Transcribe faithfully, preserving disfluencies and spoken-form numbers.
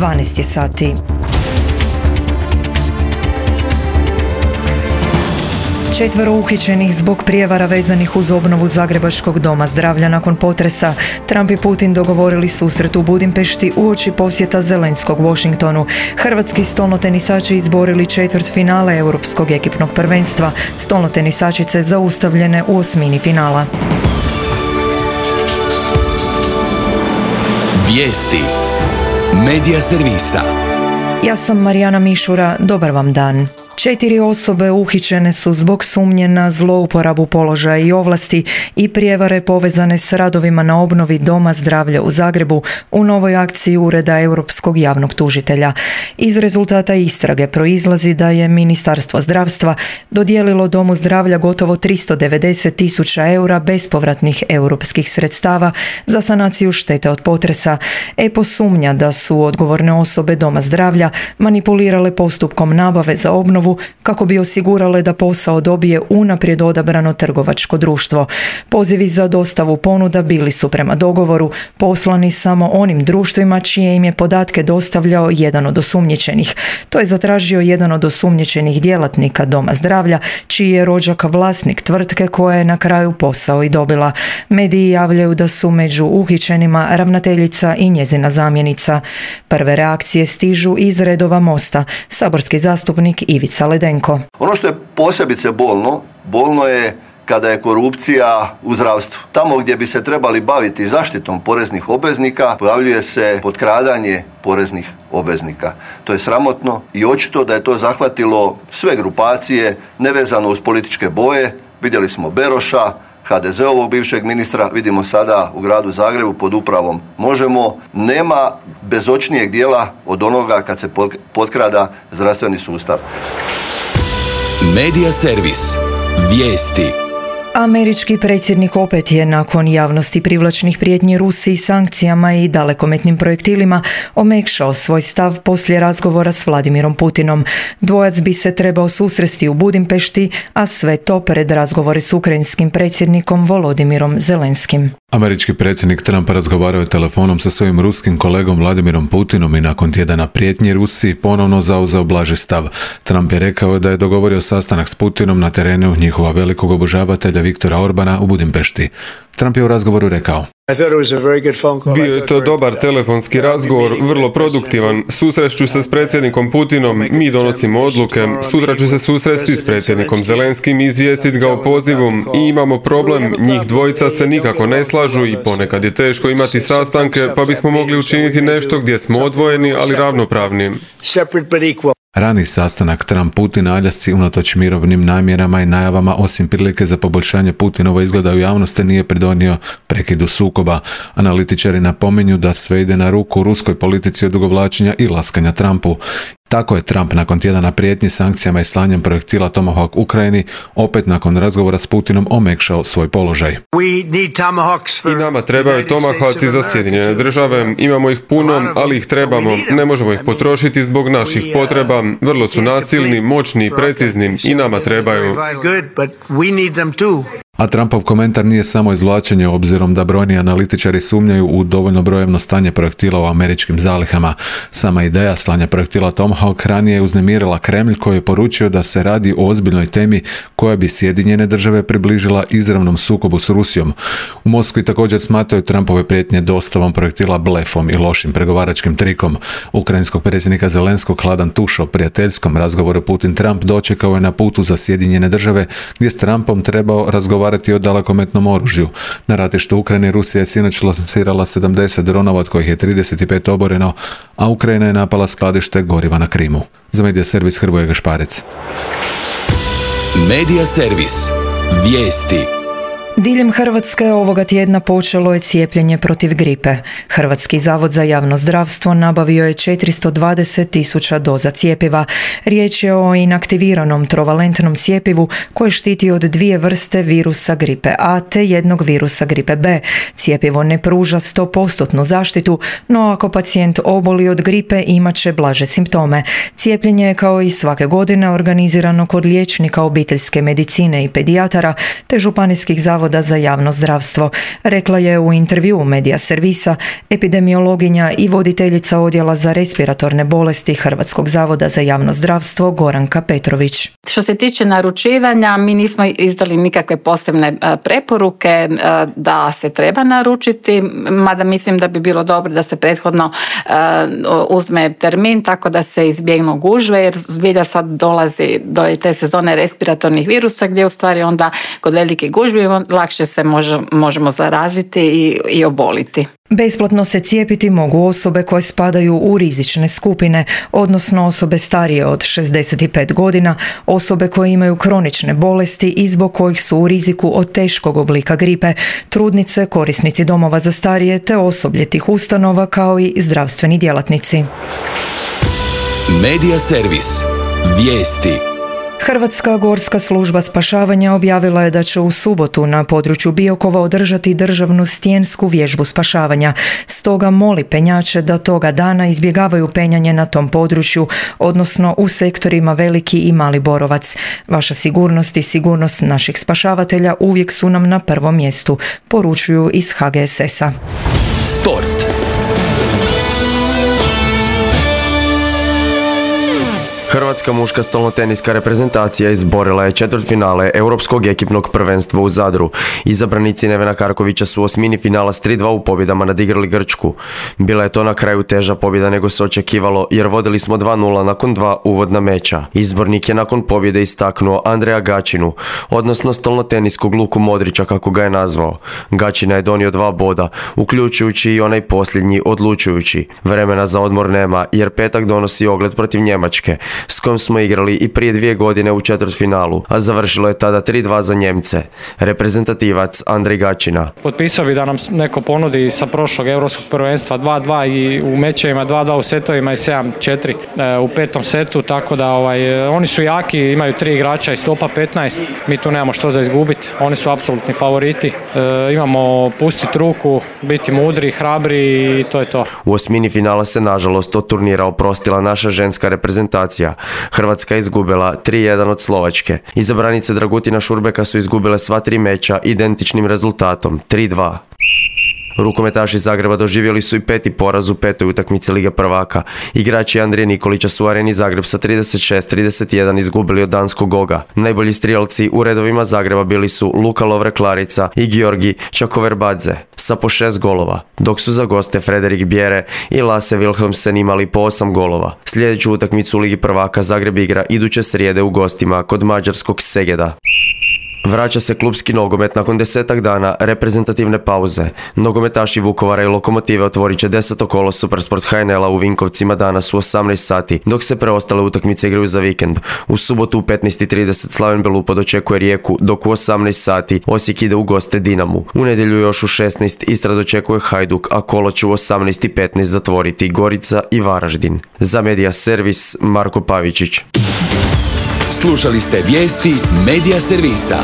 dvanaest je sati. Četvero uhićenih zbog prijevara vezanih uz obnovu Zagrebačkog doma zdravlja nakon potresa. Trump i Putin dogovorili susret u Budimpešti uoči posjeta Zelenskog Washingtonu. Hrvatski stolnotenisači izborili četvrt finale Europskog ekipnog prvenstva. Stolnotenisačice zaustavljene u osmini finala. Vijesti Medija servisa. Ja sam Marijana Mišura, dobar vam dan. Četiri osobe uhićene su zbog sumnje na zlouporabu položaja i ovlasti i prijevare povezane s radovima na obnovi Doma zdravlja u Zagrebu u novoj akciji Ureda Europskog javnog tužitelja. Iz rezultata istrage proizlazi da je Ministarstvo zdravstva dodijelilo Domu zdravlja gotovo tristo devedeset tisuća eura bespovratnih europskih sredstava za sanaciju štete od potresa. E P O sumnja da su odgovorne osobe Doma zdravlja manipulirale postupkom nabave za obnovu kako bi osigurale da posao dobije unaprijed odabrano trgovačko društvo. Pozivi za dostavu ponuda bili su prema dogovoru poslani samo onim društvima čije im je podatke dostavljao jedan od osumnjičenih. To je zatražio jedan od osumnjičenih djelatnika Doma zdravlja, čiji je rođak vlasnik tvrtke koja je na kraju posao i dobila. Mediji javljaju da su među uhićenima ravnateljica i njezina zamjenica. Prve reakcije stižu iz redova Mosta. Saborski zastupnik Ivica Ledenko. Ono što je posebice bolno, bolno je kada je korupcija u zdravstvu. Tamo gdje bi se trebali baviti zaštitom poreznih obveznika, pojavljuje se potkradanje poreznih obveznika. To je sramotno i očito da je to zahvatilo sve grupacije nevezano uz političke boje. Vidjeli smo Beroša, ha de ze-ovog bivšeg ministra, vidimo sada u gradu Zagrebu pod upravom Možemo. Nema bezočnijeg dijela od onoga kad se potkrada zdravstveni sustav. Medija servis. Vijesti. Američki predsjednik opet je nakon javnosti privlačnih prijetnji Rusiji sankcijama i dalekometnim projektilima omekšao svoj stav poslije razgovora s Vladimirom Putinom. Dvojac bi se trebao susresti u Budimpešti, a sve to pred razgovore s ukrajinskim predsjednikom Volodimirom Zelenskim. Američki predsjednik Trump razgovarao je telefonom sa svojim ruskim kolegom Vladimirom Putinom i nakon tjedana prijetnji Rusiji ponovno zauzeo blaži stav. Trump je rekao da je dogovorio sastanak s Putinom na terenu njihova velikog obožavatelja Viktora Orbana u Budimpešti. Trump je u razgovoru rekao: Bio je to dobar telefonski razgovor, vrlo produktivan. Susreću se s predsjednikom Putinom, mi donosimo odluke. Sutra ću se susresti s predsjednikom Zelenskim i izvijestiti ga o pozivu. I imamo problem, njih dvojica se nikako ne slažu i ponekad je teško imati sastanke, pa bismo mogli učiniti nešto gdje smo odvojeni, ali ravnopravni. Rani sastanak Trump-Putin na Aljasci unatoč mirovnim namjerama i najavama osim prilike za poboljšanje Putinova izgleda u javnosti nije pridonio prekidu sukoba. Analitičari napominju da sve ide na ruku ruskoj politici odugovlačenja i laskanja Trumpu. Tako je Trump nakon tjedana prijetnji sankcijama i slanjem projektila Tomahawk Ukrajini opet nakon razgovora s Putinom omekšao svoj položaj. I nama trebaju Tomahawci za Sjedinjene države. Imamo ih puno, ali ih trebamo. Ne možemo ih potrošiti zbog naših potreba. Vrlo su nasilni, moćni i precizni. I nama trebaju. A Trumpov komentar nije samo izvlačenje obzirom da brojni analitičari sumnjaju u dovoljno brojevno stanje projektila u američkim zalihama. Sama ideja slanja projektila Tomahawk ranije je uznemirila Kremlj koji je poručio da se radi o ozbiljnoj temi koja bi Sjedinjene države približila izravnom sukobu s Rusijom. U Moskvi također smatraju Trumpove prijetnje dostavom projektila blefom i lošim pregovaračkim trikom. Ukrajinskog predsjednika Zelenskog hladan tuš o prijateljskom razgovoru Putin-Trump dočekao je na putu za Sjedinjene države gdje s Trumpom trebao razgovarati o dalekometnom oružju. Na ratištu Ukrajine Rusija je sinoć lansirala sedamdeset dronova, od kojih je trideset pet oboreno, a Ukrajina je napala skladište goriva na Krimu. Za Medija servis Hrvoje Gašparec. Medija servis. Vijesti. Diljem Hrvatske ovoga tjedna počelo je cijepljenje protiv gripe. Hrvatski zavod za javno zdravstvo nabavio je četiristo dvadeset tisuća doza cjepiva. Riječ je o inaktiviranom trovalentnom cjepivu koje štiti od dvije vrste virusa gripe A te jednog virusa gripe B. Cjepivo ne pruža sto posto zaštitu, no ako pacijent oboli od gripe imat će blaže simptome. Cijepljenje je kao i svake godine organizirano kod liječnika obiteljske medicine i pedijatara te županijskih zavoda Zavoda za javno zdravstvo, rekla je u intervjuu Medija servisa epidemiologinja i voditeljica odjela za respiratorne bolesti Hrvatskog zavoda za javno zdravstvo Goranka Petrović. Što se tiče naručivanja, mi nismo izdali nikakve posebne preporuke da se treba naručiti, mada mislim da bi bilo dobro da se prethodno uzme termin tako da se izbjegnu gužve, jer zbilja sad dolazi do te sezone respiratornih virusa gdje u stvari onda kod velike gužve lakše se može, možemo zaraziti i, i oboliti. Besplatno se cijepiti mogu osobe koje spadaju u rizične skupine, odnosno osobe starije od šezdeset pet godina, osobe koje imaju kronične bolesti i zbog kojih su u riziku od teškog oblika gripe, trudnice, korisnici domova za starije te osoblje tih ustanova kao i zdravstveni djelatnici. Medija servis. Vijesti. Hrvatska gorska služba spašavanja objavila je da će u subotu na području Biokova održati državnu stijensku vježbu spašavanja. Stoga moli penjače da toga dana izbjegavaju penjanje na tom području, odnosno u sektorima Veliki i Mali Borovac. Vaša sigurnost i sigurnost naših spašavatelja uvijek su nam na prvom mjestu, poručuju iz H G S S-a. Sport. Hrvatska muška stolnoteniska reprezentacija izborila je četvrtfinale Europskog ekipnog prvenstva u Zadru. Izabranici Nevena Karkovića su u osmini finala s tri dva u pobjedama nadigrali Grčku. Bila je to na kraju teža pobjeda nego se očekivalo, jer vodili smo dva nula nakon dva uvodna meča. Izbornik je nakon pobjede istaknuo Andreja Gačinu, odnosno stolnoteniskog Luku Modrića kako ga je nazvao. Gačina je donio dva boda, uključujući i onaj posljednji odlučujući. Vremena za odmor nema, jer petak donosi ogled protiv Njemačke, s kojom smo igrali i prije dvije godine u četvrtfinalu, a završilo je tada tri dva za Njemce. Reprezentativac Andrej Gačina. Potpisao bi da nam neko ponudi sa prošlog europskog prvenstva dva dva i u mečevima dva dva u setovima i sedam četiri u petom setu, tako da ovaj, oni su jaki, imaju tri igrača i stopa petnaest, mi tu nemamo što za izgubiti, oni su apsolutni favoriti, e, imamo pustiti ruku, biti mudri, hrabri i to je to. U osmini finala se nažalost od turnira oprostila naša ženska reprezentacija. Hrvatska je izgubila tri jedan od Slovačke. Izabranice Dragutina Šurbeka su izgubile sva tri meča identičnim rezultatom tri dva. Rukometaši Zagreba doživjeli su i peti poraz u petoj utakmici Lige prvaka. Igrači Andrije Nikolića su u Areni Zagreb sa trideset šest trideset jedan izgubili od danskog Goga. Najbolji strijelci u redovima Zagreba bili su Luka Lovre-Klarica i Georgi Čakoverbadze sa po šest golova, dok su za goste Frederik Bjere i Lasse Wilhelmsen imali po osam golova. Sljedeću utakmicu u Ligi prvaka Zagreb igra iduće srijede u gostima kod mađarskog Segeda. Vraća se klupski nogomet nakon desetak dana reprezentativne pauze. Nogometaši Vukovara i Lokomotive otvorit će deseto kolo Supersport H N L-a u Vinkovcima danas u osamnaest sati, dok se preostale utakmice igraju za vikend. U subotu u petnaest i trideset Slaven Belupo dočekuje Rijeku, dok u osamnaest sati Osijek ide u goste Dinamu. U nedjelju još u šesnaest Istra dočekuje Hajduk, a kolo će u osamnaest i petnaest zatvoriti Gorica i Varaždin. Za Medija servis Marko Pavičić. Slušali ste vijesti Medija servisa.